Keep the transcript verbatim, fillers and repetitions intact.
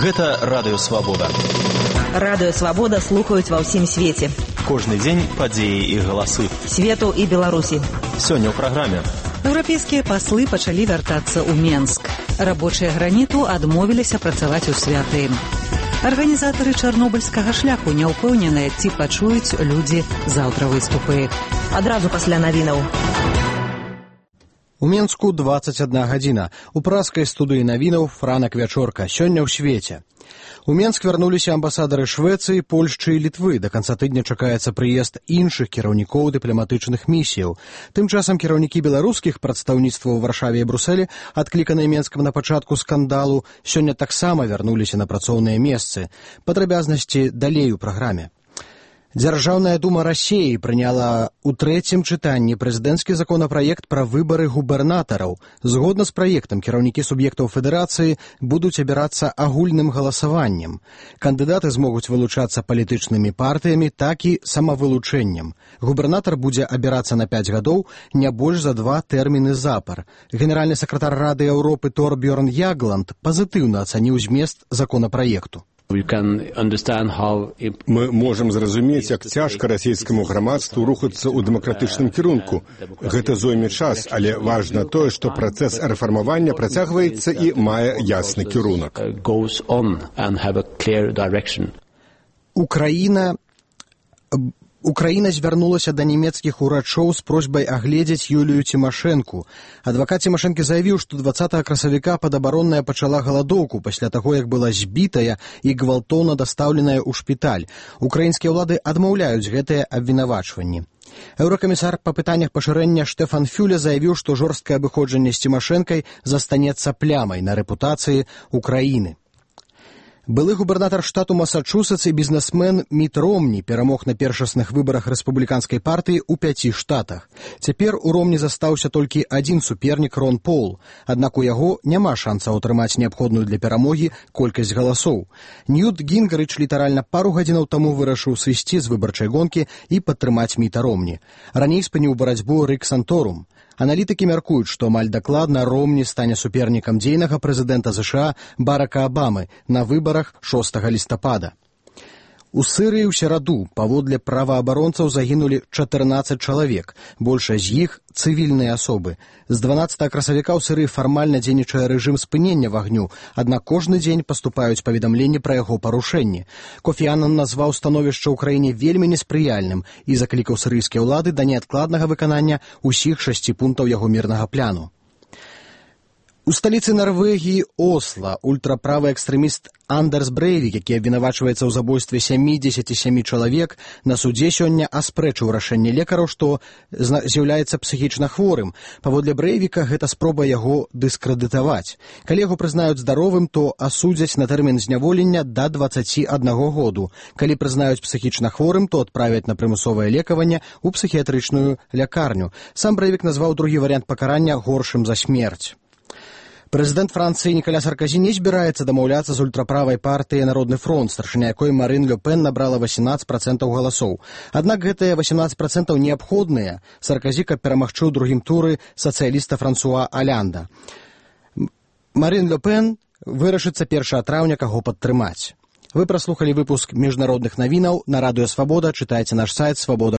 Гэта Радыё Свабода. Радыё Свабода слухаюць ва ўсім свеце. Кожны дзень падзеі і галасы. Свету і Беларусі. Сёння ў праграме. Еўрапейскія паслы пачалі вяртацца ў Менск. Рабочыя граніту адмовіліся працаваць у святы. Арганізатары чарнобыльскага шляху не ўпэўненыя, ці пачуюць людзі заўтра выступы. Адразу пасля навінаў. У Менску дваццаць адна гадзіна. У праскай студыі навінаў Франак Вячорка. Сёння ў свеце. У Менск вярнуліся амбасадары Швецыі, Польшчы і Літвы. Да канца тыдня чакаецца прыезд іншых кіраўнікоў дыпламатычных місіяў. Тым часам кіраўнікі беларускіх прадстаўніцтваў у Варшаве і Брусэлі, адкліканыя Менскам на пачатку скандалу, сёння таксама вярнуліся на працоўныя месцы. Падрабязнасці далей у праграме. Дзяржаўная дума Расіі прыняла ў трэцім чытанні прэзідэнцкі законапраект пра выбары губернатараў. Згодна з праектам кіраўнікі суб'ектаў федэрацыі будуць абірацца агульным галасаваннем. Кандыдаты змогуць вылучацца палітычнымі партыямі, так і самавылучэннем. Губернатар будзе абірацца на пяць гадоў, не больш за два тэрміны запар. Генеральны сакратар Рады Еўропы Торбьерн Ягланд пазітыўна ацаніў змест законапраекту. Мы можам зразумець, як цяжка расійскаму грамадству рухацца ў дэмакратычным кірунку. Гэта зойме час, але важна тое, што працэс рэфармавання працягваецца і мае ясны кірунак. Украіна... Украіна звярнулася да нямецкіх урачоў з просьбай агледзець Юлію Цімашэнку. Адвакат Цімашэнкі заявіў, што дваццатага красавіка падабаронная пачала галадоўку пасля таго, як была збітая і гвалтоўна дастаўленая ў шпіталь. Украінскія ўлады адмаўляюць гэтыя абвінавачванні. Еўракамісар па пытаннях пашырэння Штэфан Фюле заявіў, што жорсткае абыходжанне з Цімашэнкай застанецца плямай на рэпутацыі Украіны. Былы губернатар штату Масачусетс і бізнесмен Міт Ромні перамог на першасных выбарах рэспубліканскай партыі ў пяці штатах. Цяпер у Ромні застаўся толькі адзін супернік Рон Пол, аднак у яго няма шансаў атрымаць неабходную для перамогі колькасць галасоў. Ньют Гінгрыч літаральна пару гадзінаў таму вырашыў сысці з выбарчай гонкі і падтрымаць Міта Ромні. Раней спыніў барацьбу Рык Санторум. Аналітыкі мяркуюць, што амаль дакладна Ромні стане супернікам дзейнага прэзідэнта ЗША Барака Абамы на выбарах шостага лістапада. У Сырыі ў сераду паводле праваабаронцаў загінулі чатырнаццаць чалавек, большая з іх цывільныя асобы. З дванаццатага красавіка ў Сырыі фармальна дзейнічае рэжым спынення вагню, аднак кожны дзень паступаюць паведамленні пра яго парушэнні. Кофі Аннан назваў становішча ў краіне вельмі неспрыяльным і заклікаў сырыйскія ўлады да неадкладнага выканання ўсіх шасці пунктаў яго мірнага пляну. У сталіцы Нарвегіі Осла ультраправы экстрэміст Андерс Брэйвік, які абвінавачваецца ў забойстве сямідзесяці сямі чалавек, на судзе сёння аспрэчыў рашэнне лекараў, што з'яўляецца псіхічна хворым. Паводле Брэйвіка гэта спроба яго дыскрэдытаваць. Калі яго прызнаюць здаровым, то асудзяць на тэрмін зняволення да дваццаці аднаго году. Калі прызнаюць псіхічна хворым, то адправяць на прымусовае лекаванне ў псіхіятрычную лякарню. Сам Брэйвік назваў другі варыянт пакарання горшым за смерць. Прэзідэнт Францыі Нікаля Сарказі не збіраецца дамаўляцца з ультраправай партыяй Народны фронт, старшыня якой Марын Ле Пен набрала васемнаццаць працэнтаў галасоў. Аднак гэтыя васемнаццаць працэнтаў неабходныя Сарказі, каб перамагчы ў другім туры сацыяліста Франсуа Алянда. Марын Ле Пен вырашыцца першага траўня, каго падтрымаць. Вы праслухалі выпуск міжнародных навінаў на Радыё Свабода, чытайце наш сайт свабода.